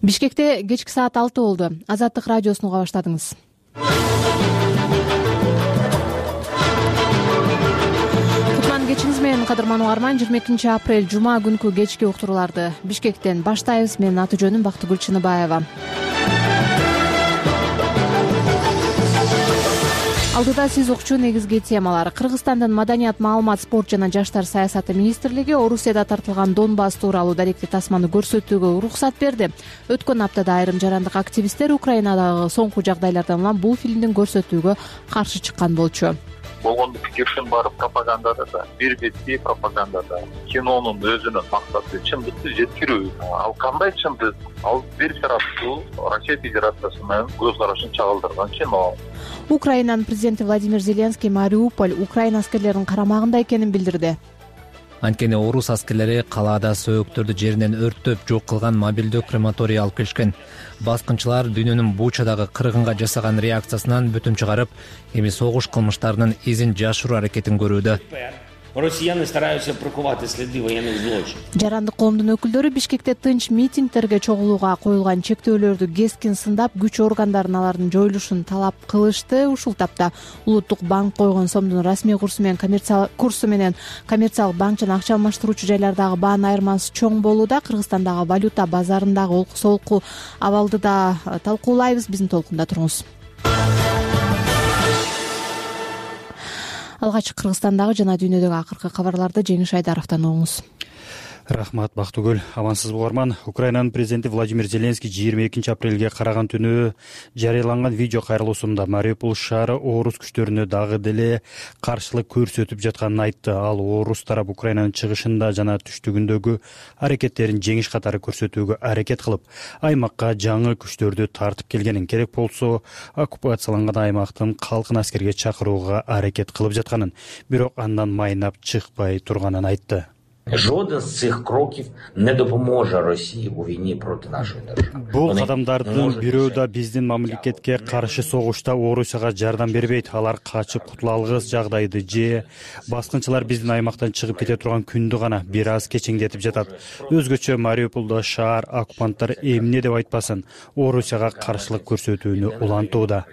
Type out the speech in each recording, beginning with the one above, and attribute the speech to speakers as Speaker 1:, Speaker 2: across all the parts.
Speaker 1: Бишкекте кечки саат 6 болду. Азаттык радиосун уга баштадыңыз. Кутман кечиңиз менен кадырман угарман. 22 апрель жума күнкү кечки уктурууларды Бишкектен баштайбыз. Менин аты жөнүм Бактыгүл Чыныбаева. Алдыда сиз укчу негизги темалар. Кыргызстандын маданият, маалымат, спорт жана жаштар саясаты министрлиги Орусияда тартылган Донбасс тууралуу даректи тасманы көрсөтүүгө уруксат берди. Өткөн аптада айрым жарандык активисттер Украинадагы соңку жагдайлардан улам бул фильмдин көрсөтүүгө каршы чыккан болчу.
Speaker 2: Болгондук пикирдин баары пропагандада да, бир бетти пропагандада. Кинонун өзүнүн максаты чындыкты жеткирүү. Ал кандай чындык? Ал бир тараптуу Россия Федерациясынын көз карашын чагылдырган кино.
Speaker 1: Украинанын президенти Владимир Зеленский Мариуполь Украина аскерлеринин карамагында экенин билдирди.
Speaker 3: Анткени орус аскерлери калаада сөөктөрдү жеринен өрттөп жок кылган мобилдүү крематорий алып келишкен. Баскынчылар дүйнөнүн Бучадагы кыргынга жасаган реакциясынан бүтүм чыгарып, эми согуш кылмыштарынын изин жашыруу аракетин көрүүдө.
Speaker 4: Россияне стараются прикрывать следы военных злочинов.
Speaker 1: Жарандык коомдун өкүлдөрү Бишкекте тынч митингдерге чогулууга коюлган чектөөлөрдү кескин сындап, күч органдарын алардын жоюлушун талап кылышты. Ушул тапта Улуттук банк койгон сомдун расмий курсу менен коммерциялык банк жана акча алмаштыруучу жайлардагы баанын айырмасы чоң болууда. Кыргызстандагы валюта базарындагы олку-солку абалды да талкуулайбыз. Биздин толкунда туруңуз. Алгач Кыргызстандагы жана дүйнөдөгү акыркы кабарларды Жеңиш Айдаровдон угуңуз.
Speaker 5: Рахмат, Бактыгүл. Амансыз угарман. Украинанын президенти Владимир Зеленский 22 апрелге караган түнү жарыяланган видео кайрылуусунда Мариуполь шаары орус күчтөрүнө дагы деле каршылык көрсөтүп жатканын айтты. Ал орус тарап Украинанын чыгышында жана түштүгүндөгү аракеттерин жеңиш катары көрсөтүүгө аракет кылып, аймакка жаңы күчтөрдү тартып келгенин, керек болсо оккупацияланган аймактын калкын аскерге чакырууга аракет кылып жатканын, бирок андан майнап чыкпай турганын айтты.
Speaker 4: Жоден з цих кроків не допоможе Росії у війні проти нашої держави.
Speaker 5: Бул кадамдардын бирөө да биздин мамлекетке каршы согушта Орусияга жардам бербейт. Алар качып кутула алгыс жагдайды же баскынчылар биздин аймактан чыгып кете турган күндү гана бир аз кечеңдетип жатат. Өзгөчө Мариуполдо шаар оккупанттар эмне деп айтпасын, Орусияга каршылык көрсөтүүнү улантууда,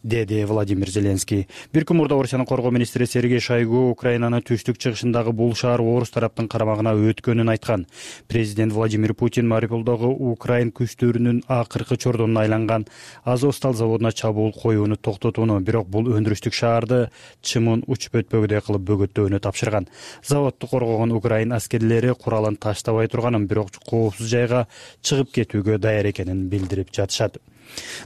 Speaker 5: деди Владимир Зеленский. Бир күн мурда Орусиянын коргоо министри Сергей Шойгу Украинанын түштүк чыгышындагы бул шаар орус тараптын карамагына өткөнүн айткан. Президент Владимир Путин Мариуполдогу Украин күчтөрүнүн акыркы чордонуна айланган Азовсталь заводуна чабуул коюуну токтотууну, бирок бул өндүрүштүк шаарды чымын учуп өтпөгүдөй кылып бөгөттөөнү тапшырган. Заводду коргогон Украин аскерлери куралын таштабай турганын, бирок коопсуз жайга чыгып кетүүгө даяр экенин билдирип жатышат.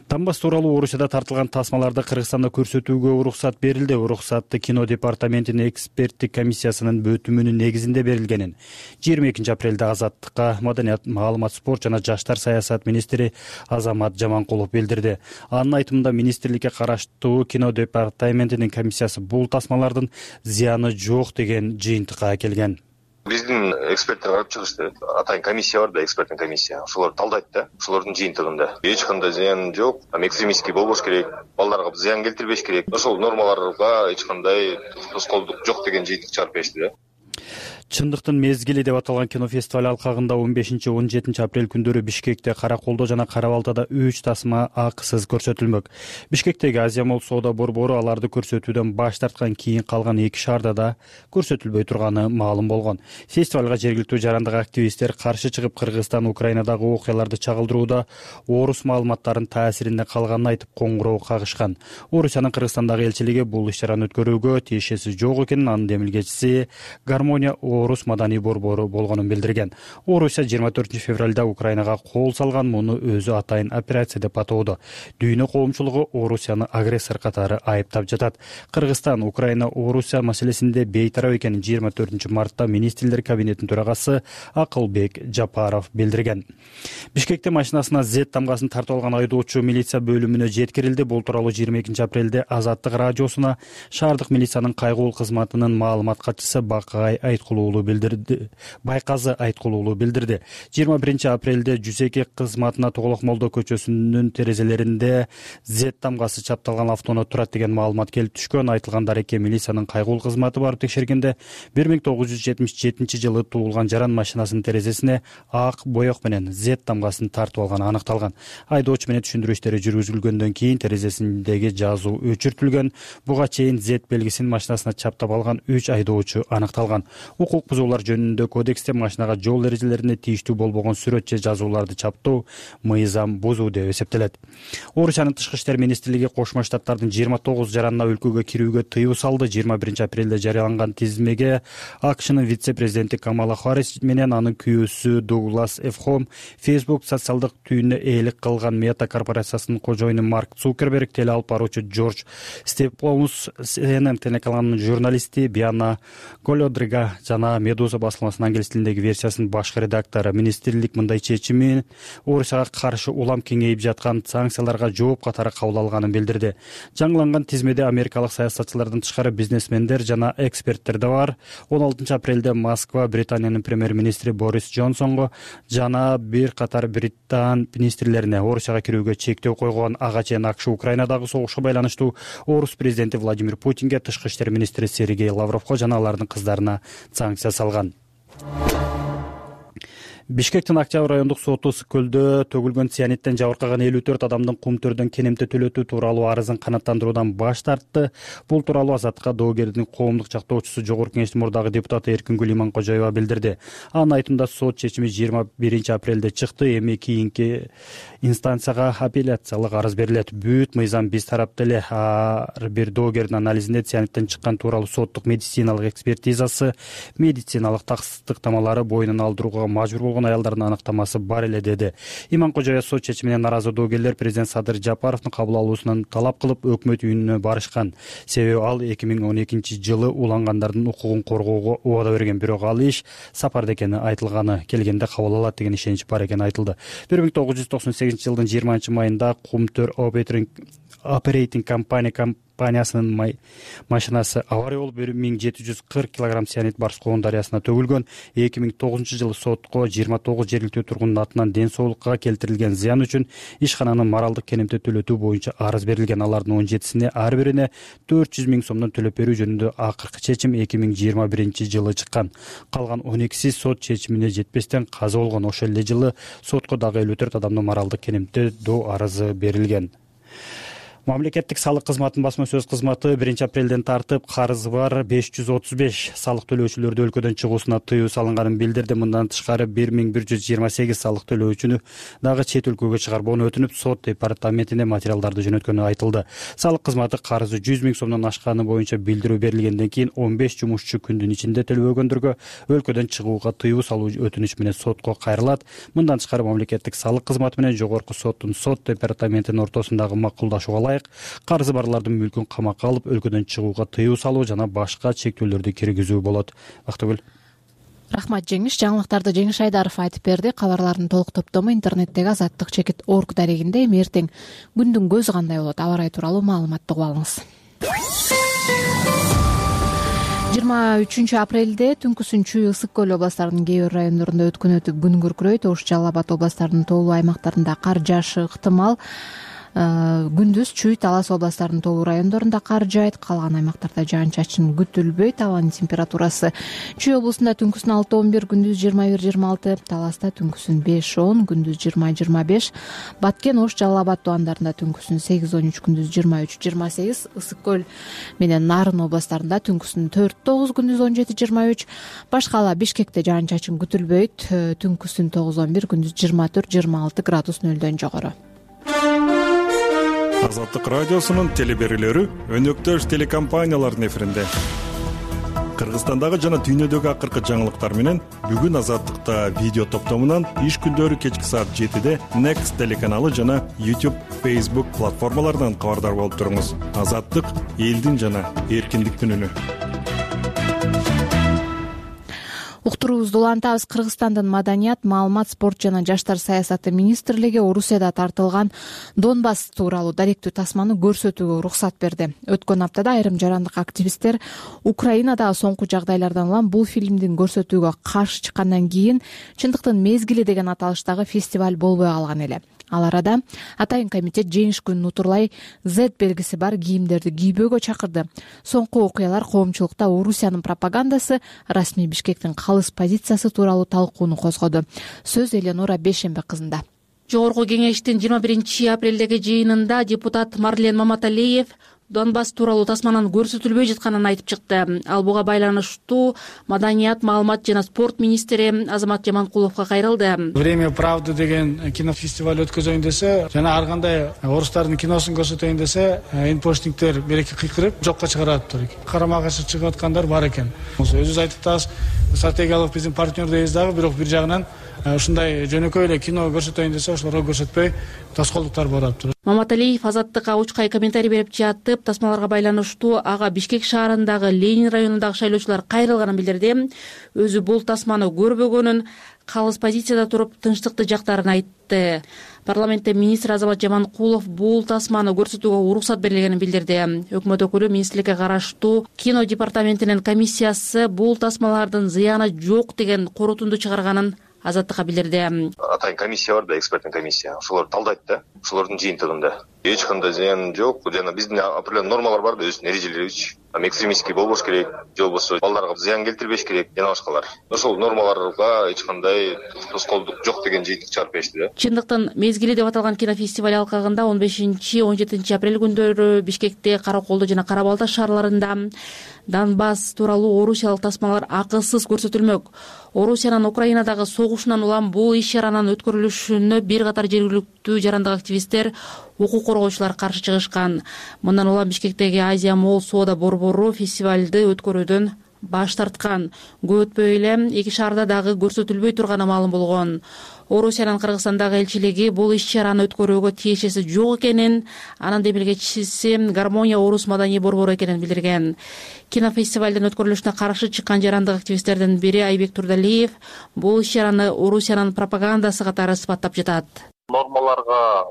Speaker 5: Донбасс тууралуу Орусияда тартылган тасмаларды Кыргызстанда көрсөтүүгө уруксат берилди. Уруксатты кино департаментинин эксперттик комиссиясынын бөтүмүнүн негизинде берилгенин 22 апрелде Азаттыкка маданият, маалымат, спорт жана жаштар саясат министри Азамат Жаманкулов билдирди. Анын айтымында министрликке караштуу кино департаментинин комиссиясы бул тасмалардын зыяны жок деген жыйынтыкка келген.
Speaker 6: Биздин эксперттер карап чыгышты. Атайын комиссия бар да, эксперттин комиссия. Ошолор талдайт да, ошолордун жыйынтыгында. Эч кандай зыян жок, экстремистский болбош керек, балдарга зыян келтирбеш керек. Ошол нормаларга эч кандай тоскоолдук жок деген жыйынтык чыгарып беришти да.
Speaker 5: Чындыктын мезгили деп аталган кинофестиваль алкагында 15-17 апрель күндөрү Бишкекте, Караколдо жана Кара-Балтада 3 тасма акысыз көрсөтүлмөк. Бишкектеги Азия Молл соода борбору аларды көрсөтүүдөн баш тарткан, кийин калган 2 шаарда да көрсөтүлбөй турганы маалым болгон. Фестивалга жергиликтүү жарандык активисттер каршы чыгып, Кыргызстан Украинадагы окуяларды чагылдырууда орус маалыматтарынын таасиринде калганын айтып коңгуроо кагышкан. Орусиянын Кыргызстандагы элчилиги бул иш-чараны өткөрүүгө тиешеси жок экенин, анын демилгечиси Гармония орус маданий борбору болгонун билдирген. Орусия 24 февралда Украинага кол салган, муну өзү атайын операция деп атоодо. Дүйнө коомчулугу Орусияны агрессор катары айыптап жатат. Кыргызстан Украина Орусия маселесинде бейтарап экенин 24 мартта министрлер кабинетинин төрагасы Акылбек Жапаров билдирген. Бишкекте машинасына Z тамгасын тартып алган айдоочу милиция бөлүмүнө жеткирилди. Бул тууралуу 22 апрелде Азаттык радиосуна шаардык милициянын кайгылуу кызматынын маалымат катчысы Бакай Айткулуулу айткулуулуу билдирди. 21-апрелде Жусеки кызматына Тоголок Молдо көчөсүнүн терезелеринде Z тамгасы чапталган автоунаа турат деген маалымат келип түшкөн. Айтылган дарекке милициянын кайгылуу кызматы барып текшергенде 1977 туулган жаран машинасынын терезесине ак боек менен Z тамгасын тартып алганы аныкталган. Айдоочу менен түшүндүрүү иштери жүргүзүлгөндөн кийин терезесиндеги жазуу өчүртүлгөн. Буга чейин Z белгисин машинасына чаптап алган 3 айдоочу аныкталган. Укук бузуулар жөнүндө кодексте машинага жол эрежелерине тийиштүү болбогон сүрөт же жазууларды чаптоо мыйзам бузуу деп эсептелет. Орусиянын тышкы иштер министрлиги Кошмо Штаттардын 29 жаранына өлкөгө кирүүгө тыюу салды. 21-апрелде жарыяланган тизмеге АКШнын вице-президенти Камала Харрис менен анын күйөөсү Дуглас Эфхом, Facebook социалдык түйүнүнө ээлик кылган Мета корпорациясынын кожоюну Марк Цукерберг, теле алып баруучу Джордж Степлоус, CNN телеканалынын журналисти Биана Голодрига жана Медуза басылмасынын англис тилиндеги версиясынын башкы редактору. Министрлик мындай чечими Орусияга каршы улам кеңейип жаткан санкцияларга жооп катары кабыл алганын билдирди. Жаңыланган тизмеде америкалык саясатчылардан тышкары бизнесмендер жана эксперттер да бар. 16-апрелде Москва Британиянын премьер-министри Борис Джонсонго жана бир катар Британ министрлерине Орусияга кирүүгө чектөө койгон. Ага чейин АКШ Украинадагы согушка байланыштуу Орус президенти Владимир Путинге, тышкы иштер министри Сергей Лавровго жана алардын кыздарына санкция салган. Бишкектин Октябрь райондук соту Ысык көлдө төгүлгөн цианиттен жабыркаган 54 адамдын кумтөрдөн кенемте төлөтүү тууралуу арызын канааттандыруудан баш тартты. Бул тууралуу Азаттыкка доогердин коомдук жактоочусу Жогорку Кеңештин мурдагы депутаты Эркингүл Иманкожоева билдирди. Анын айтымында сот чечими 21-апрелде чыкты. Эми кийинки инстанцияга апелляциялык арыз берилет. Бүт мыйзам биз тарапта эле. Ар бир доогердин анализинде цианиттен чыккан тууралуу соттук медициналык экспертизасы, медициналык тастыктамалары боюнан алдырууга мажбур болгон аялдардын аныктамасы бар эле, деди. Иманкожоева сот чечимине наразы доогерлер президент Садыр Жапаровдун кабыл алуусунан талап кылып өкмөт үйүнө барышкан. Себеби ал 2012-жылы улангандардын укугун коргоого убада берген, бирок ал иш сапарда экени айтылганы, келгенде кабыл алат деген ишенич бар экени айтылды. 1998-жылдын 20-майында Кумтөр Operating компаниясынын машинасы авария болуп 1740 кг цианид Барскоон дарыясына төгүлгөн. 2009-жылы сотко 29 жергиликтүү тургундун атынан ден соолукка келтирилген зыян үчүн ишкананын моралдык кенемте төлөтүү боюнча арыз берилген. Алардын 17-сине ар бирине 400 000 сомдон төлөп берүү жөнүндө акыркы чечим 2021-жылы чыккан. Калган 12-си сот чечимине жетпестен каза болгон. Ошол эле жылы сотко дагы 54 адамдын моралдык кенемтедөө арызы берилген. Мамлекеттик салык кызматынын басма сөз кызматы 1-апрелден тартып карызы бар 535 салык төлөөчүлөрдү өлкөдөн чыгуусуна тыюу салынганын билдирди. Мындан тышкары 1128 салык төлөөчүнү дагы чет өлкөгө чыгарбоону өтүнүп, сот департаментине материалдарды жөнөткөнү айтылды. Салык кызматы карызы 100 000 сомдон ашканы боюнча билдирүү берилгенден кийин 15 жумушчу күндүн ичинде төлөбөгөндөргө өлкөдөн чыгууга тыюу салуу өтүнүч менен сотко кайрылат. Мындан тышкары мамлекеттик салык кызматы менен жогорку соттун сот департаментинин ортосундагы макулдашууга карызы барлардын мүлкүн камакка алып, өлкөдөн чыгууга тыюу салуу жана башка чектөөлөрдү киргизүү болот. Бактыгүл.
Speaker 1: Рахмат Жеңиш. Жаңылыктарды Жеңиш Айдаров айтып берди. Кабарлардын толук топтому интернеттеги azattik.org дарегинде. Эми эртең күндүн көзү кандай болот, аба ырайы тууралуу маалыматты угуп алыңыз. 23-апрелде түнкүсүн Чүй, Ысык көл областарынын кээ бир райондорунда өткөн күн күркүрөйт. Ош, Жалал Абад областарынын тоолуу аймактарында кар жаашы ыктымал. Күндүз Чүй, Талас областарынын тоолуу райондорунда кар жаайт, калган аймактарда жаан-чачын күтүлбөйт. Абанын температурасы Чүй облусунда түнкүсүн 6-11, күндүз 21-26, Таласта түнкүсүн 5-10, күндүз 20-25, Баткен, Ош, Жалал Абад тубандарында түнкүсүн 8-13, күндүз 23-28, Ысык көл менен Нарын областарында түнкүсүн 4-9, күндүз 17-23, Башкала, Бишкекте жаан-чачын күтүлбөйт, түнкүсүн 9-11, күндүз 24-26 градус нөлдөн жогору.
Speaker 7: Азаттык радиосунун телеберүүлөрү өнөктөш телекомпаниялардын эфиринде. Кыргызстандагы жана дүйнөдөгү акыркы жаңылыктар менен бүгүн Азаттыкта видео топтомунан иш күндөрү кечки саат 7-де Next телеканалы жана YouTube, Facebook платформаларынан кабардар болуп туруңуз. Азаттык — элдин жана эркиндиктин үнү.
Speaker 1: Уктуруубузду улантабыз. Кыргызстандын маданият, маалымат, спорт жана жаштар саясаты министрлиги Орусияда тартылган Донбасс тууралуу даректүү тасманы көрсөтүүгө уруксат берди. Өткөн аптада айрым жарандык активисттер Украинадагы соңку жагдайлардан улам бул фильмдин көрсөтүүгө каршы чыккандан кийин чындыктын мезгили деген аталыштагы фестиваль болбой калган эле. Ал арада Атайын комитет жеңиш күнүн утурлай Z белгиси бар кийимдерди кийбөөгө чакырды. Соңку окуялар коомчулукта Орусиянын пропагандасы, расмий Бишкектин калыс позициясы тууралуу талкууну козгоду. Сөз Эленора Бейшембе кызында.
Speaker 8: Жогорку кеңештин 21 апрелдеги жыйынында депутат Марлен Маматалиев Донбасс тууралуу тасманын көрсөтүлбөй жатканын айтып чыкты. Ал буга байланыштуу маданият, маалымат жана спорт министри Азамат Жаманкуловго кайрылды.
Speaker 9: Время правды деген кинофестиваль өткөзөйүн десе жана ар кандай орустардын киносун көрсөтөйүн десе инпоштингдер береке кыйкырып жокко чыгараттыр. Карама каршы чыгып аткандар бар экен. Өзүбүз айтып атабыз, стратегиялык биздин партнердейбиз дагы, бирок бир жагынан ушундай жөнөкөй эле кино көрсөтөйүн десе ошолорго көрсөтпөй тоскоолдуктар болуп атат.
Speaker 8: Маматалиев Азаттыкка учкай комментарий берип жатып, тасмаларга байланыштуу ага Бишкек шаарындагы Ленин районундагы шайлоочулар кайрылганын билдирди. Өзү бул тасманы көрбөгөнүн, калыс позицияда туруп тынчтыкты жактарын айтты. Парламентте министр Азамат Жаманкулов бул тасманы көрсөтүүгө уруксат берилгенин билдирди. Өкмөт өкүлү министрликке караштуу кино департаментинин комиссиясы бул тасмалардын зыяны жок деген корутунду чыгарганын Азаттыкка билдирди.
Speaker 6: Атайын комиссия бар да, эксперттин комиссия. Ошолор талдайт да, ошолордун жыйынтыгында. Эч кандай зыян жок. Жана биздин определенный нормалар бар да, өзүнүн эрежелерибиз. Экстремистский болбош керек, же болбосо балдарга зыян келтирбеш керек, жана башкалар. Ошол нормаларга эч кандай тоскоолдук жок деген жыйынтык чыгарып беришти да.
Speaker 8: Чындыктын мезгили деп аталган кинофестиваль алкагында 15-17 апрель күндөрү Бишкекте, Караколдо жана Кара-Балта шаарларында Донбасс тууралуу орусиялык тасмалар акысыз көрсөтүлмөк. Орусиянын Украинадагы согушунан улам бул иш-чаранын өткөрүлүшүнө бир катар жергиликтүү жарандык активисттер, укук коргоочулар каршы чыгышкан. Мындан улам Бишкектеги Азия Молл соода борбору фестивалды өткөрүүдөн баш тарткан. Көп өтпөй эле эки шаарда дагы көрсөтүлбөй турганы маалым болгон. Орусиянын Кыргызстандагы элчилиги бул иш-чараны өткөрүүгө тиешеси жок экенин, анын демилгечиси Гармония Орус маданий борбору экенин билдирген. Кинофестивалдын өткөрүлүшүнө каршы чыккан жарандык активисттердин бири Айбек Турдалиев бул иш-чараны Орусиянын пропагандасы катары сыпаттап жатат.
Speaker 2: Нормаларга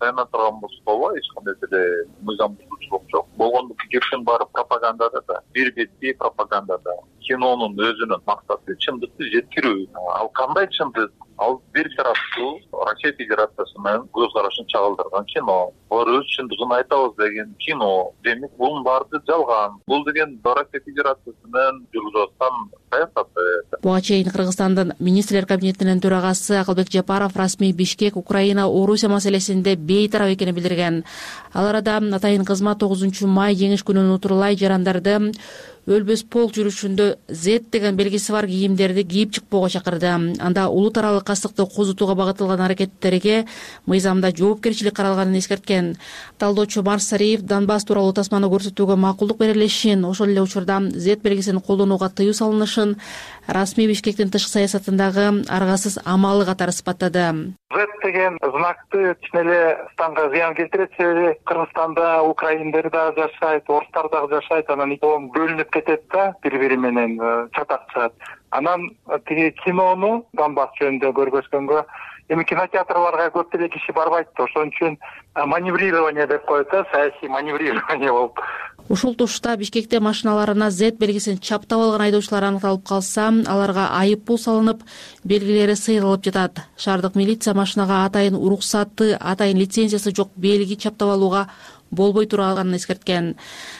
Speaker 2: таяна турган болсо эч кандай деле мыйзам бузуучулук жок. Болгондук жертин баары пропагандада да, бир бетти пропагандада. Кинонун өзүнүн максаты чындыкты жеткирүү. Ал кандай чындык? Ал бир тараптуу Россия Федерациясы менен көз карашын чагылдырган кино. Алар өз чындыгын айтабыз деген кино. Демек бунун баары жалган. Бул деген Россия Федерациясы менен жүргүзүп аткан саясат.
Speaker 8: Буга чейин Кыргызстандын министрлер кабинетинин төрагасы Акылбек Жапаров расмий Бишкек, Украина, Орусия маселесинде бейтарап экенин билдирген. Ал арада Атайын кызмат 9 май жеңиш күнүн утурлай жарандарды өлбөс полк жүрүшүндө Z деген белгиси бар кийимдерди кийип чыкпоого чакырды. Анда улут аралык кастыкты козутууга багытылган аракеттерге мыйзамда жоопкерчилик каралганын эскерткен. Талдоочу Марсариев Донбасс тууралуу тасманы көрсөтүүгө макулдук берилишин, ошол эле учурда Z белгисин колдонууга тыюу салынышын расмий Бишкектин тышкы саясатындагы аргасыз амалы катары сыпаттады.
Speaker 10: Z деген знакты чын эле станга зыян келтирет, себеби Кыргызстанда украиндер да жашайт, орустар дагы жашайт, анан бөлүнүп кетет да, бири-бири менен чатак чыгат. Анан тиги кинону Донбасс жөнүндө көргөзгөнгө эми кинотеатрларга көп деле киши барбайт да, ошон үчүн маневрирование деп коет да, саясий маневрирование болуп.
Speaker 8: Ушул тушта Бишкекте машиналарына Z белгисин чаптап алган айдоочулар аныкталып калса, аларга айып пул салынып, белгилери сыйрылып жатат. Шаардык милиция машинага атайын уруксаты, атайын лицензиясы жок белги чаптап алууга болбой турганын эскерткен.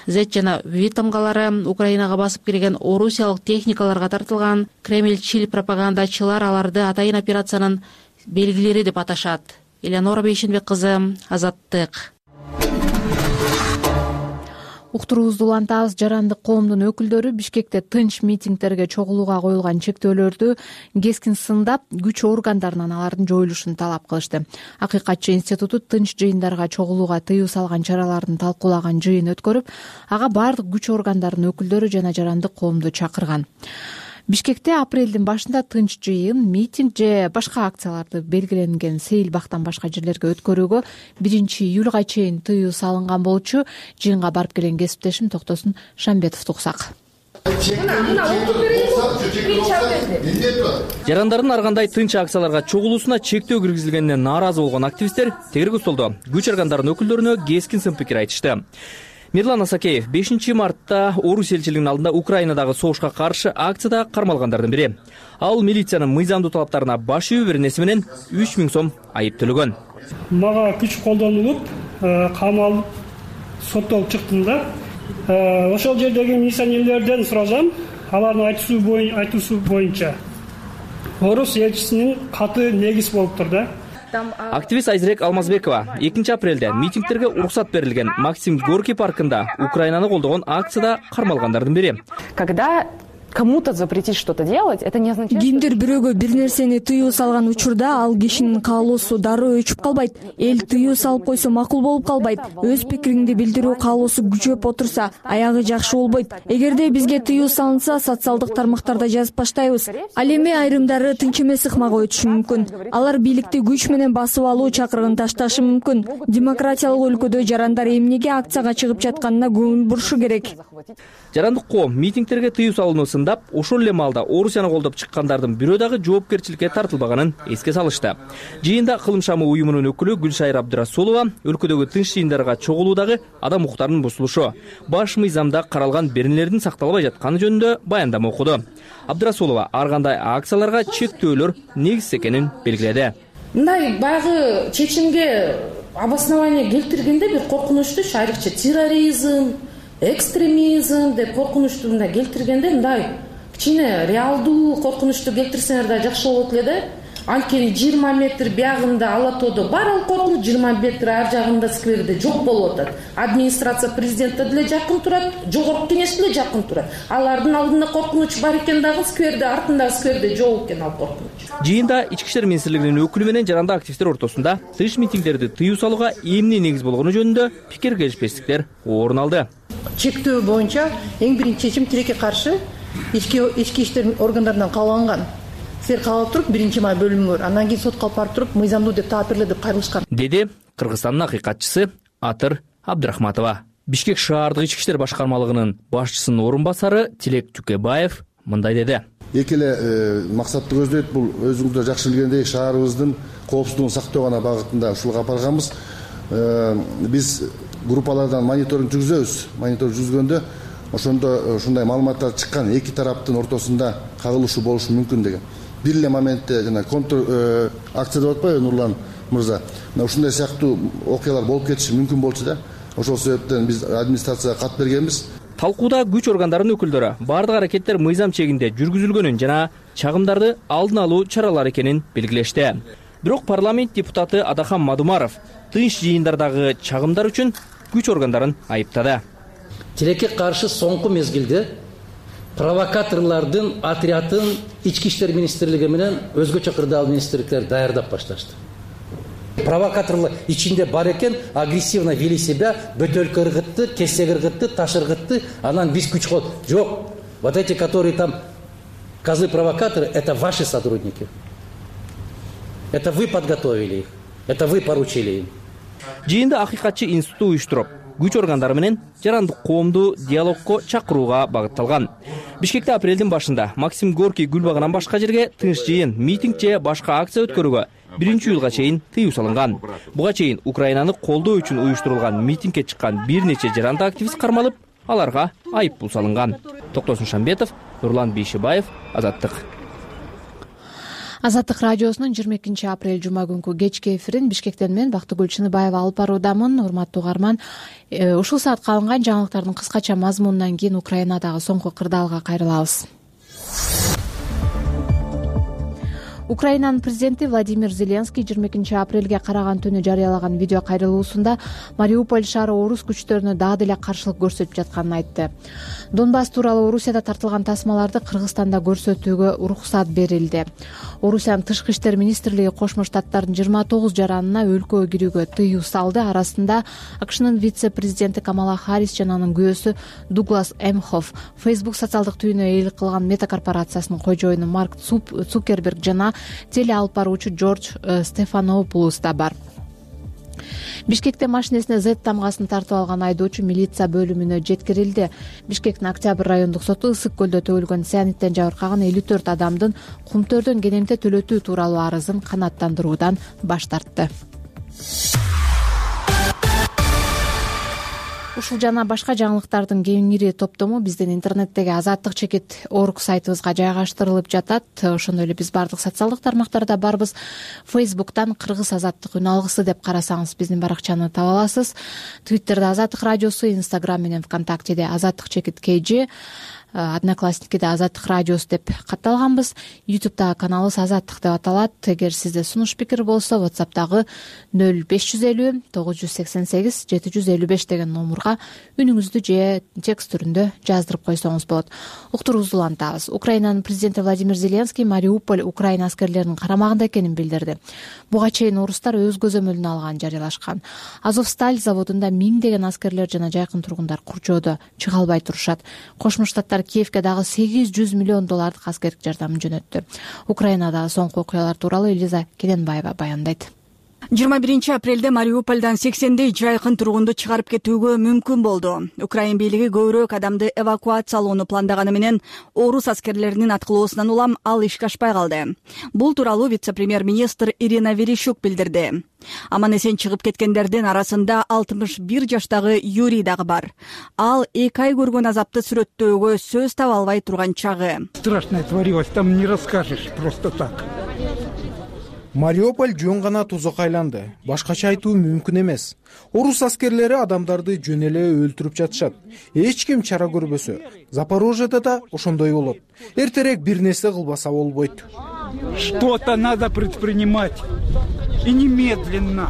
Speaker 8: Z жана V тамгалары Украинага басып кирген орусиялык техникаларга тартылган. Кремльчил пропагандачылар аларды атайын операциянын белгилери деп аташат. Эленора Бейшембе кызы, Азаттык.
Speaker 1: Уктуруубузду улантабыз. Жарандык коомдун өкүлдөрү Бишкекте тынч митингдерге чогулууга коюлган чектөөлөрдү кескин сындап, күч органдарынан алардын жоюлушун талап кылышты. Акыйкатчы институту тынч жыйындарга чогулууга тыюу салган чараларын талкуулаган жыйын өткөрүп, ага бардык күч органдарынын өкүлдөрү жана жарандык коомду чакырган. Бишкекте апрелдин башында тынч жыйын, митинг же башка акцияларды белгиленген Сейил бактан башка жерлерге өткөрүүгө 1-июлга чейин тыюу салынган болчу. Жыйынга барып келген кесиптешим Токтосун Шамбетовду уксак.
Speaker 11: жарандардын ар кандай тынч акцияларга чогулуусуна чектөө киргизилгенине нааразы болгон активисттер тегерек столдо күч органдарынын өкүлдөрүнө кескин сын пикир айтышты. Мирлан Асакеев 5 мартта Орус элчилигинин алдында Украинадагы согушка каршы акцияда кармалгандардын бири. Ал милициянын мыйзамдуу талаптарына баш ийүү беренеси менен 3000 сом айып төлөгөн.
Speaker 12: Мага күч колдонулуп, камалып, соттолуп чыктым да. Ошол жердеги милиционерлерден сурасам, алардын айтуусу боюнча Орус элчисинин каты негиз болуптур да.
Speaker 11: Активист Айзерек Алмазбекова 2 апрелде митингтерге уруксат берилген Максим Горький паркында Украинаны колдогон акцияда кармалгандардын бири.
Speaker 13: Когда кому-то запретить что-то делать, это не означает...
Speaker 14: Кимдир бирөөгө бир нерсени тыюу салган учурда ал кишинин каалоосу дароо өчүп калбайт. Эл тыюу салып койсо макул болуп калбайт. Өз пикириңди билдирүү каалоосу күчөп отурса, аягы жакшы болбойт. Эгерде бизге тыюу салынса, социалдык тармактарда жазып баштайбыз. Ал эми айрымдары тынч эмес ыкмага өтүшү мүмкүн. Алар бийликти күч менен басып алуу чакырыгын ташташы мүмкүн. Демократиялык өлкөдө жарандар эмнеге акцияга чыгып жатканына көңүл бурушу керек.
Speaker 11: Жарандык коом митингтерге тыюу салынуусун ошол эле маалда Орусияны колдоп чыккандардын бирөө дагы жоопкерчиликке тартылбаганын эске салышты. Жыйында Кылым шамы уюмунун өкүлү Гүлшайыр Абдырасулова өлкөдөгү тынч жыйындарга чогулуудагы адам укуктарынын бузулушу, баш мыйзамда каралган беренелердин сакталбай жатканы жөнүндө баяндама окуду. Абдырасулова ар кандай акцияларга чектөөлөр негиз экенин белгиледи.
Speaker 15: Мындай баягы чечимге обоснование келтиргенде бир коркунучтуу, айрыкча терроризм, экстремизм деп коркунучту мындай келтиргенде мындай кичине реалдуу коркунучту келтирсеңер да жакшы болот эле да. Анткени 20 метр биягында Алатоодо бар ал коркунуч, 20 метр ар жагында скверде жок болуп атат. Администрация президентке деле жакын турат, жогорку кеңеш деле жакын турат. Алардын алдында коркунуч бар экен дагы скверде, артындагы скверде жок экен ал коркунуч.
Speaker 11: Жыйында Ички ишер министрлигинин өкүлү менен жарандык активисттер ортосунда тыш митингдерди тыюу салууга эмне негиз болгону жөнүндө пикир келишпестиктер орун алды.
Speaker 16: Чектөө боюнча эң биринчи чечим тилекке каршы ички иштер органдарынан кааланган. Силер каалап туруп 1 май бөлүмүңөр, андан кийин сотко алып барып туруп мыйзамдуу деп таап берилет деп кайрылышкан.
Speaker 11: Деди Кыргызстандын акыйкатчысы Атыр Абдрахматова. Бишкек шаардык ички иштер башкармалыгынын башчысынын орун басары Тилек Түкебаев мындай деди.
Speaker 17: Эки эле максатты көздөйт. Бул өзүңүздөр жакшы билгендей шаарыбыздын коопсуздугун сактоо гана багытында ушулга барганбыз. Биз группалардан мониторинг жүргүзөбүз. Мониторинг жүргүзгөндө ошондо ушундай маалыматтар чыккан, эки тараптын ортосунда кагылышуу болушу мүмкүн деген. Бир эле моментте жана контр акция деп атпайбы Нурлан мырза. Ушундай сыяктуу окуялар болуп кетиши мүмкүн болчу да. Ошол себептен биз администрацияга кат бергенбиз.
Speaker 11: Талкууда күч органдарынын өкүлдөрү бардык аракеттер мыйзам чегинде жүргүзүлгөнүн жана чагымдарды алдын алуу чаралары экенин белгилешти. Бирок парламент депутаты Адахан Мадумаров тынч жыйындардагы чагымдар үчүн күч органдарын айыптады.
Speaker 18: Тилекке каршы соңку мезгилде провокаторлордун отрядын Ички иштер министрлиги менен өзгөчө кырдаал министрликтер даярдап башташты. Провокаторлор ичинде бар экен, агрессивно вели себя, бөтөлкө ыргытты, кесек ыргытты, таш ыргытты, анан биз күч кол. Жок. Вот эти, которые там козлы-провокаторы, это ваши сотрудники. Это вы подготовили их. Это вы поручили им.
Speaker 11: Жыйында акыйкатчы институту уюштуруп, күч органдары менен жарандык коомду диалогко чакырууга багытталган. Бишкекте апрелдин башында Максим Горький гүл багынан башка жерге тынч жыйын, митинг же башка акция өткөрүүгө 1-июлга чейин тыюу салынган. Буга чейин Украинаны колдоо үчүн уюштурулган митингге чыккан бир нече жарандык активист кармалып, аларга айып пул салынган. Токтосун Шамбетов, Нурлан Бейшибаев, Азаттык.
Speaker 1: Азаттык радиосунун 22 апрель жума күнкү кечки эфирин Бишкектен мен Бактыгүл Чыныбаева алып баруудамын. Урматтуу угарман, ушул саатка алынган жаңылыктардын кыскача мазмунунан кийин Украинадагы соңку кырдаалга кайрылабыз. Украинанын президенти Владимир Зеленский 22 апрелге караган түнү жарыялаган видео кайрылуусунда Мариуполь шаары орус күчтөрүнө дагы деле каршылык көрсөтүп жатканын айтты. Донбасс тууралуу Орусияда тартылган тасмаларды Кыргызстанда көрсөтүүгө уруксат берилди. Орусиянын тышкы иштер министрлиги Кошмо Штаттардын 29 жаранына өлкөгө кирүүгө тыюу салды. Арасында АКШнын вице-президенти Камала Харрис жана анын күйөөсү Дуглас Эмхоф, Facebook социалдык түйүнү ээлик кылган Мета корпорациясынын кожоюну Марк Цукерберг жана теле алып баруучу Джордж Стефанопулос да бар. Бишкекте машинесине Z тамгасын тартып алган айдоочу милиция бөлүмүнө жеткирилди. Бишкектин Октябрь райондук соту Ысык көлдө төгүлгөн цианиттен жабыркаган 54 адамдын кумтөрдөн кенемте төлөтүү тууралуу арызын канааттандыруудан баш тартты. Ушул жана башка жаңылыктардын кеңири топтому биздин интернеттеги Азаттык чекит org сайтыбызга жайгаштырылып жатат. Ошондой эле биз бардык социалдык тармактарда барбыз. Facebook'тан Кыргыз Азаттык үн алгысы деп карасаңыз биздин баракчаны таба аласыз. Twitter'де Азаттык радиосу, Instagram менен ВКонтактеде Азаттык чекит KG, Одноклассникиде Азаттык радиосу деп катталганбыз. YouTube'дагы каналыбыз Азаттык деп аталат. Эгер сизде сунуш пикир болсо, WhatsApp'тагы 0550 988 755 деген номурга үнүңүздү же текст түрүндө жаздырып койсоңуз болот. Уктуруубузду улантабыз. Украинанын президенти Владимир Зеленский Мариуполь Украина аскерлеринин карамагында экенин билдирди. Буга чейин орустар өз көзөмөлүнө алганын жарыялашкан. Азовсталь заводунда миңдеген аскерлер жана жайкын тургундар курчоодо чыга албай турушат. Кошмо Штаттар Киевке дагы $800 миллион аскердик жардамын жөнөттү. Украинадагы соңку окуялар тууралуу Элиза Кененбаева баяндайт.
Speaker 19: 21 апрелде Мариупольдон 80дей жайкын тургунду чыгарып кетүүгө мүмкүн болду. Украин бийлиги көбүрөөк адамды эвакуациялоону пландаганы менен орус аскерлеринин аткылоосунан улам ал ишке ашпай калды. Бул тууралуу вице-премьер-министр Ирина Верещук билдирди. Аман эсен чыгып кеткендердин арасында 61 жаштагы Юрий дагы бар. Ал 2 ай көргөн азапты сүрөттөөгө сөз таба албай турган чагы.
Speaker 20: Страшное творилось, там не расскажешь просто так. Мариуполь жөн гана тузак айланды. Башкача айтуу мүмкүн эмес. Орус аскерлери адамдарды жөн эле өлтүрүп жатышат. Эч ким чара көрбөсө, Запорожьеда да ошондой болот. Эртерээк бир нерсе кылбаса болбойт. Что-то надо предпринимать. И немедленно.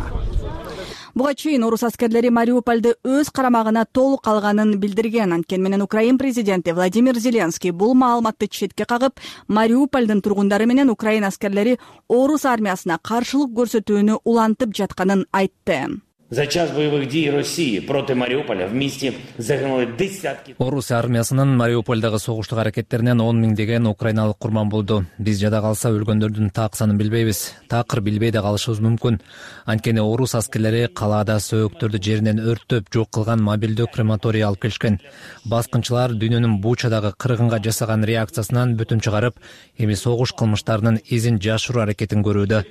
Speaker 19: Буга чейин орус аскерлери Мариупольду өз карамагына толук алганын билдирген. Анткени менен Украин президенти Владимир Зеленский бул маалыматты четке кагып, Мариупольдун тургундары менен Украин аскерлери орус армиясына каршылык көрсөтүүнү улантып жатканын айтты.
Speaker 21: За час боевых действий России против Мариуполя вместе загинули десятки.
Speaker 3: Орус армиясынын Мариупольдагы согуштук аракеттеринен 10 миңдеген украиналык курман болду. Биз жада калса өлгөндөрдүн так санын билбейбиз. Такыр билбей да калышыбыз мүмкүн. Анткени орус аскерлери калаада сөөктөрдү жеринен өрттөп жок кылган мобилдүү крематорий алып келишкен. Баскынчылар дүйнөнүн Бучадагы кыргынга жасаган реакциясынан бүтүм чыгарып, эми согуш кылмыштарынын изин жашыруу аракетин көрүүдө.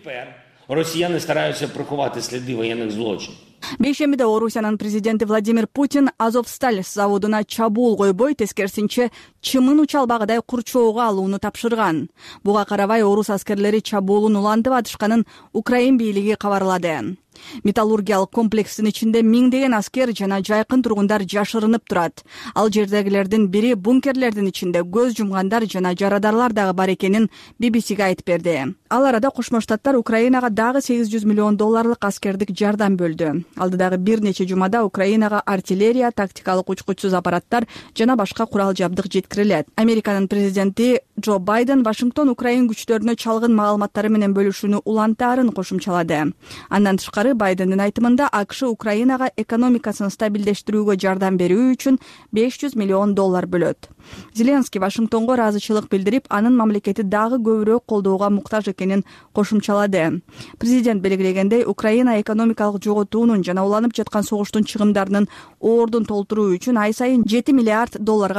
Speaker 21: Россияне стараются приховать следы военных злочинов.
Speaker 19: Бейшембиде Орусиянын президенти Владимир Путин Азовсталь заводуна чабуул койбой, тескерисинче чымын учалбагыдай курчоого алууну тапшырган. Буга карабай орус аскерлери чабуулун улантып атышканын Украин бийлиги кабарлады. Металлургиялык комплекстин ичинде миңдеген аскер жана жайкын тургундар жашырынып турат. Ал жердегилердин бири бункерлердин ичинде көз жумгандар жана жарадарлар дагы бар экенин BBC'ге айтып берди. Ал арада Кошмо Штаттар Украинага дагы $800 миллион аскердик жардам бөлдү. Алдыдагы бир нече жумада Украинага артиллерия, тактикалык учкучсуз аппараттар жана башка курал жабдык жеткирилет. Американын президенти Джо Байден Вашингтон Украин күчтөрүнө чалгын маалыматтары менен бөлүшүүнү улантаарын кошумчалады. Андан тышкары Байдендин айтымында АКШ Украинага экономикасын стабилдештирүүгө жардам берүү үчүн $500 миллион бөлөт. Зеленский Вашингтонго ыраазычылык билдирип, анын мамлекети дагы көбүрөөк колдоого муктаж экенин кошумчалады. Президент белгилегендей, Украина экономикалык жоготуунун жана уланып жаткан согуштун чыгымдарынын ордун толтуруу үчүн ай сайын $7 миллиард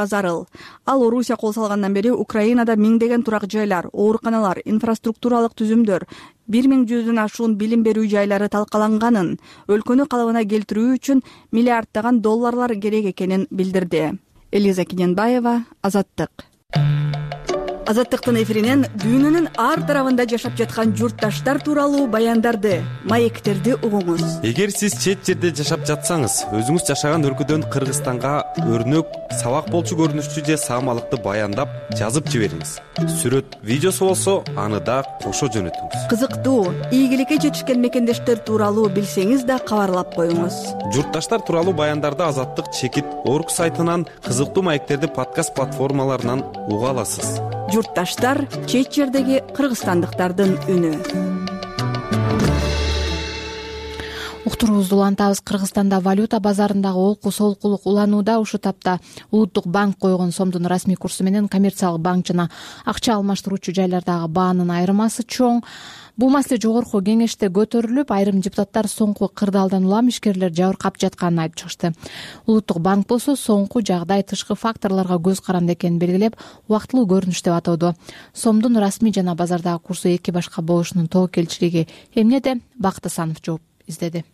Speaker 19: зарыл. Ал Орусия кол салгандан бери Украинада миңдеген турак жайлар, ооруканалар, инфраструктуралык түзүмдөр, 1100 ашуун билим берүү жайлары талкаланганын, өлкөнү калыбына келтирүү үчүн миллиарддаган долларлар керек экенин билдирди. Элиза Кененбаева, Азаттык. Азаттыктын эфиринен дүйнөнүн ар тарабында жашап жаткан журтташтар тууралуу баяндарды, маектерди угуңуз.
Speaker 22: Эгер сиз чет жерде жашап жатсаңыз, өзүңүз жашаган өлкөдөн Кыргызстанга өрнөк, сабак болчу көрүнүштүү же саамалыкты баяндап жазып жибериңиз. Сүрөт, видеосу болсо, аны да кошо жөнөтүңүз.
Speaker 19: Кызыктуу, ийгиликке жетишкен мекендештер тууралуу билсеңиз да кабарлап коюңуз.
Speaker 22: Журтташтар тууралуу баяндарды Азаттык чекит org сайтынан, кызыктуу маектерди подкаст платформаларынан уга аласыз.
Speaker 19: Журтташтар чет жердеги кыргызстандыктардын үнү.
Speaker 1: Уктуруубузду улантабыз. Кыргызстанда валюта базарындагы олку солкулук уланууда. Ушул тапта Улуттук банк койгон сомдун расмий курсу менен коммерциялык банк жана акча алмаштыруучу жайлардагы баанын айырмасы чоң. Бул маселе жогорку кеңеште көтөрүлүп, айрым депутаттар соңку кырдаалдан улам ишкерлер жабыркап жатканын айтып чыгышты. Улуттук банк болсо соңку жагдай тышкы факторлорго көз каранды экенин белгилеп, убактылуу көрүнүш деп атоодо. Сомдун расмий жана базардагы курсу эки башка болушунун тобокелчилиги эмнеде? Бакыт Асанов жооп издеди.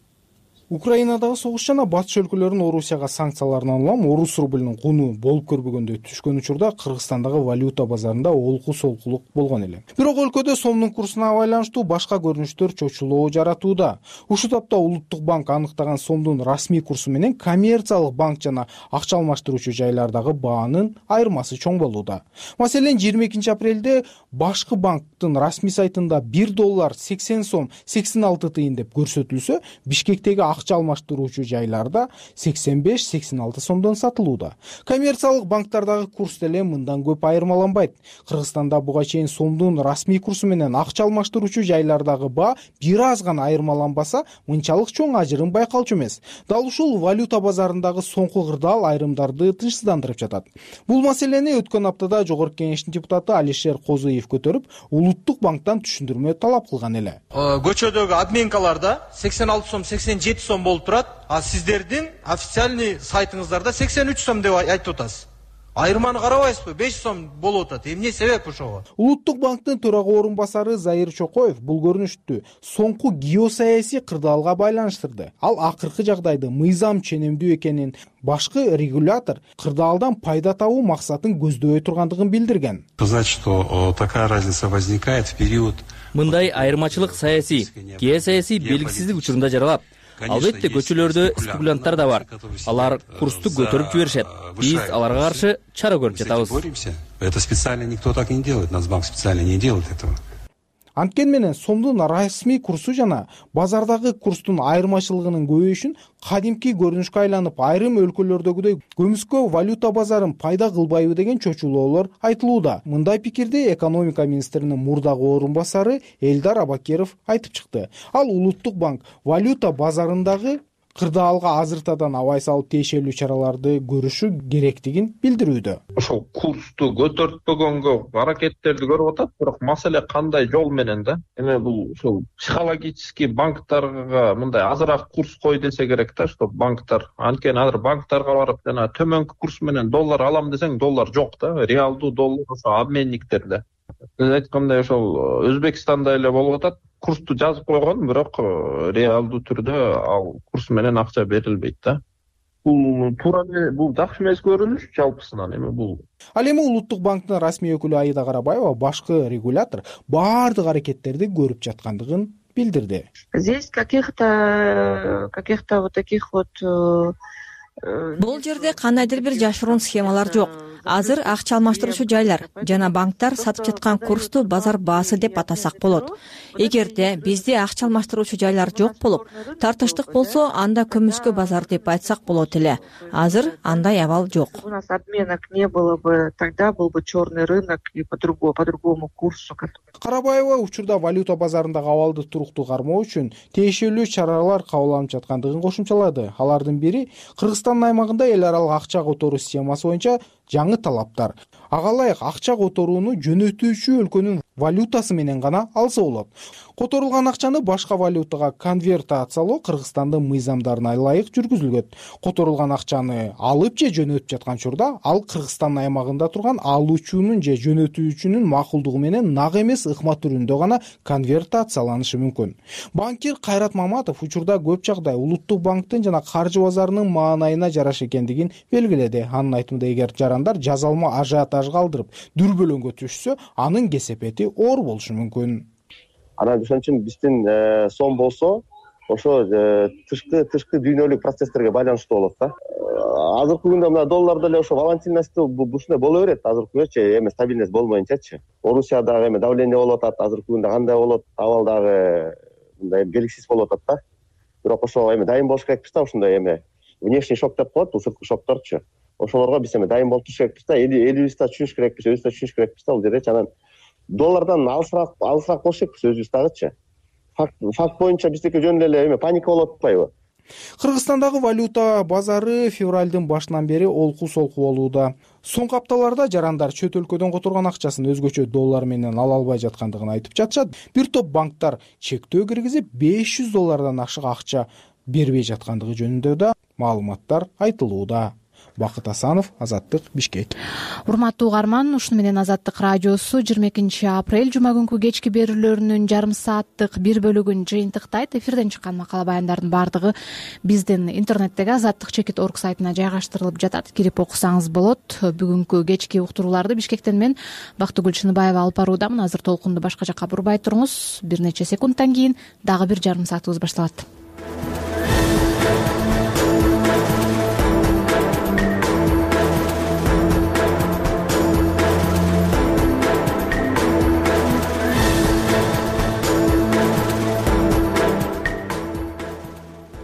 Speaker 20: Украинадагы согуш жана батыш өлкөлөрүнүн Орусияга санкцияларынан улам орус рублинин куну болуп көрбөгөндөй түшкөн учурда Кыргызстандагы валюта базарында олку солкулук болгон эле. Бирок өлкөдө сомдун курсуна байланыштуу башка көрүнүштөр чочулоо жаратууда. Ушул тапта Улуттук банк аныктаган сомдун расмий курсу менен коммерциялык банк жана акча алмаштыруучу жайлардагы баанын айырмасы чоң болууда. Маселен, 22 апрелде башкы банктын расмий сайтында $1 80 сом 86 тыйын деп көрсөтүлсө, Бишкектеги акча алмаштыруучу жайларда 85-86 сомдон сатылууда. Коммерциялык банктардагы курс деле мындан көп айырмаланбайт. Кыргызстанда буга чейин сомдун расмий курсу менен акча алмаштыруучу жайлардагы баа бир аз гана айырмаланбаса, мынчалык чоң ажырым байкалчу эмес. Дал ушул валюта базарындагы соңку кырдаал айрымдарды тынчсыздандырып жатат. Бул маселени өткөн аптада Жогорку кеңештин депутаты Алишер Козуев көтөрүп, Улуттук банктан түшүндүрмө талап кылган эле.
Speaker 4: Көчөдөгү обменкаларда 86 сом 87 сом болуп турат, а сиздердин официальный сайтыңыздарда 83 сом деп айтып атасыз. Айырманы карабайсызбы? 5 сом болуп атат. Эмне себеп ошого?
Speaker 20: Улуттук банктын төрага орун басары Заир Чокоев бул көрүнүштү соңку геосаясий кырдаалга байланыштырды. Ал акыркы жагдайды мыйзам ченемдүү экенин, башкы регулятор кырдаалдан пайда табуу максатын көздөбөй тургандыгын билдирген.
Speaker 5: Сказать, что такая разница возникает в период.
Speaker 11: Мындай айырмачылык саясий, геосаясий белгисиздик учурунда жаралат. Албетте көчөлөрдө спекулянттар да бар. Алар курсту көтөрүп жиберишет. Биз аларга каршы чара көрүп жатабыз.
Speaker 5: Это специально никто так не делает. Нацбанк специально не делает этого.
Speaker 20: Анткени менен сомдун расмий курсу жана базардагы курстун айырмачылыгынын көбөйүшүн кадимки көрүнүшкө айланып, айрым өлкөлөрдөгүдөй көмүскө валюта базарын пайда кылбайбы деген чочулоолор айтылууда. Мындай пикирди экономика министринин мурдагы орун басары Элдар Абакеров айтып чыкты. Ал Улуттук банк валюта базарындагы кырдаалга азыртадан абай салып тиешелүү чараларды көрүшү керектигин билдирүүдө.
Speaker 23: Ошол курсту көтөртпөгөнгө аракеттерди көрүп атат, бирок маселе кандай жол менен да? Эми бул ушул психологический банктарга мындай азыраак курс кой десе керек да, что банктар анткени азыр банктарга барып жана төмөнкү курс менен доллар алам десең, доллар жок да, реалдуу доллар ошо обменниктерде. Сиз айткандай ошол Өзбекстанда эле болуп атат. Курсту жазып койгон, бирок реалдуу түрдө ал курс менен акча берилбейт да. Бул туура бул жакшы эмес көрүнүш жалпысынан эми бул.
Speaker 20: Ал эми Улуттук банктын расмий өкүлү Аида Карабаева башкы регулятор баардык аракеттерди көрүп жаткандыгын билдирди.
Speaker 24: Здесь каких-то вот таких вот
Speaker 14: бул жерде кандайдыр бир жашыруун схемалар жок. Азыр акча алмаштыруучу жайлар жана банктар сатып жаткан курсту базар баасы деп атасак болот. Эгерде бизде акча алмаштыруучу жайлар жок болуп, тартыштык болсо, анда көмүскө базар деп айтсак болот эле. Азыр андай абал жок.
Speaker 24: У нас обменок не было бы, тогда был бы черный рынок и по другому курсу.
Speaker 20: Карабаева учурда валюта базарындагы абалды туруктуу кармоо үчүн тиешелүү чаралар кабыл алынып жаткандыгын кошумчалады. Алардын бири Кыргызстандын аймагында эл аралык акча которуу схемасы боюнча жаңы талаптар. Ага ылайык акча которууну жөнөтүүчү өлкөнүн валютасы менен гана алса болот. Которулган акчаны башка валютага конвертациялоо Кыргызстандын мыйзамдарына ылайык жүргүзүлгөт. Которулган акчаны алып же жөнөтүп жаткан учурда ал Кыргызстан аймагында турган алуучунун же жөнөтүүчүнүн макулдугу менен нак эмес ыкма түрүндө гана конвертацияланышы мүмкүн. Банкир Кайрат Маматов учурда көп жагдай Улуттук банктын жана каржы базарынын маанайына жараша экендигин белгиледи. Анын айтымында, эгер жарандар жазалма ажиотаж калтырып дүрбөлөңгө түшсө, анын кесепети оор болушу мүмкүн.
Speaker 25: Анан ошон үчүн биздин сом болсо, ошо тышкы дүйнөлүк процесстерге байланыштуу болот да. Азыркы күндө мына доллар деле ошо волатильность ушундай боло берет. Азыркы күндө эми стабильность болмоюнчачы. Орусияда эми давление болуп атат, азыркы күндө кандай болот, абал дагы мындай белгисиз болуп атат да. Бирок ошо эми дайым болуш керекпиз да, ушундай эми внешний шок деп коет, сырткы шокторчу. Ошолорго биз эми дайым болуп туруш керекпиз да, элибизди да түшүнүш керекпиз, өзүбүздү да түшүнүш керекпиз да бул жердечи. Анан доллардан алысыраак болуш керекпиз өзүбүз дагычы. Факт боюнча биздики жөн эле эме паника болуп атпайбы?
Speaker 20: Кыргызстандагы валюта базары февралдын башынан бери олку солку болууда. Соңку апталарда жарандар чөт өлкөдөн которгон акчасын өзгөчө доллар менен ала албай жаткандыгын айтып жатышат. Бир топ банктар чектөө киргизип $500 ашык акча бербей жаткандыгы жөнүндө да маалыматтар айтылууда. Бакыт Асанов, Азаттык, Бишкек.
Speaker 1: Урматтуу угарман, ушуну менен Азаттык радиосу 22 апрель жума күнкү кечки берүүлөрүнүн жарым сааттык бир бөлүгүн жыйынтыктайт. Эфирден чыккан макала баяндардын баардыгы биздин интернеттеги azattik.org сайтына жайгаштырылып жатат. Кирип окусаңыз болот. Бүгүнкү кечки уктурууларды Бишкектен мен Бактыгүл Чыныбаева алып баруудамын. Азыр толкунду башка жакка бурбай туруңуз. Бир нече секундтан кийин дагы бир жарым саатыбыз башталат.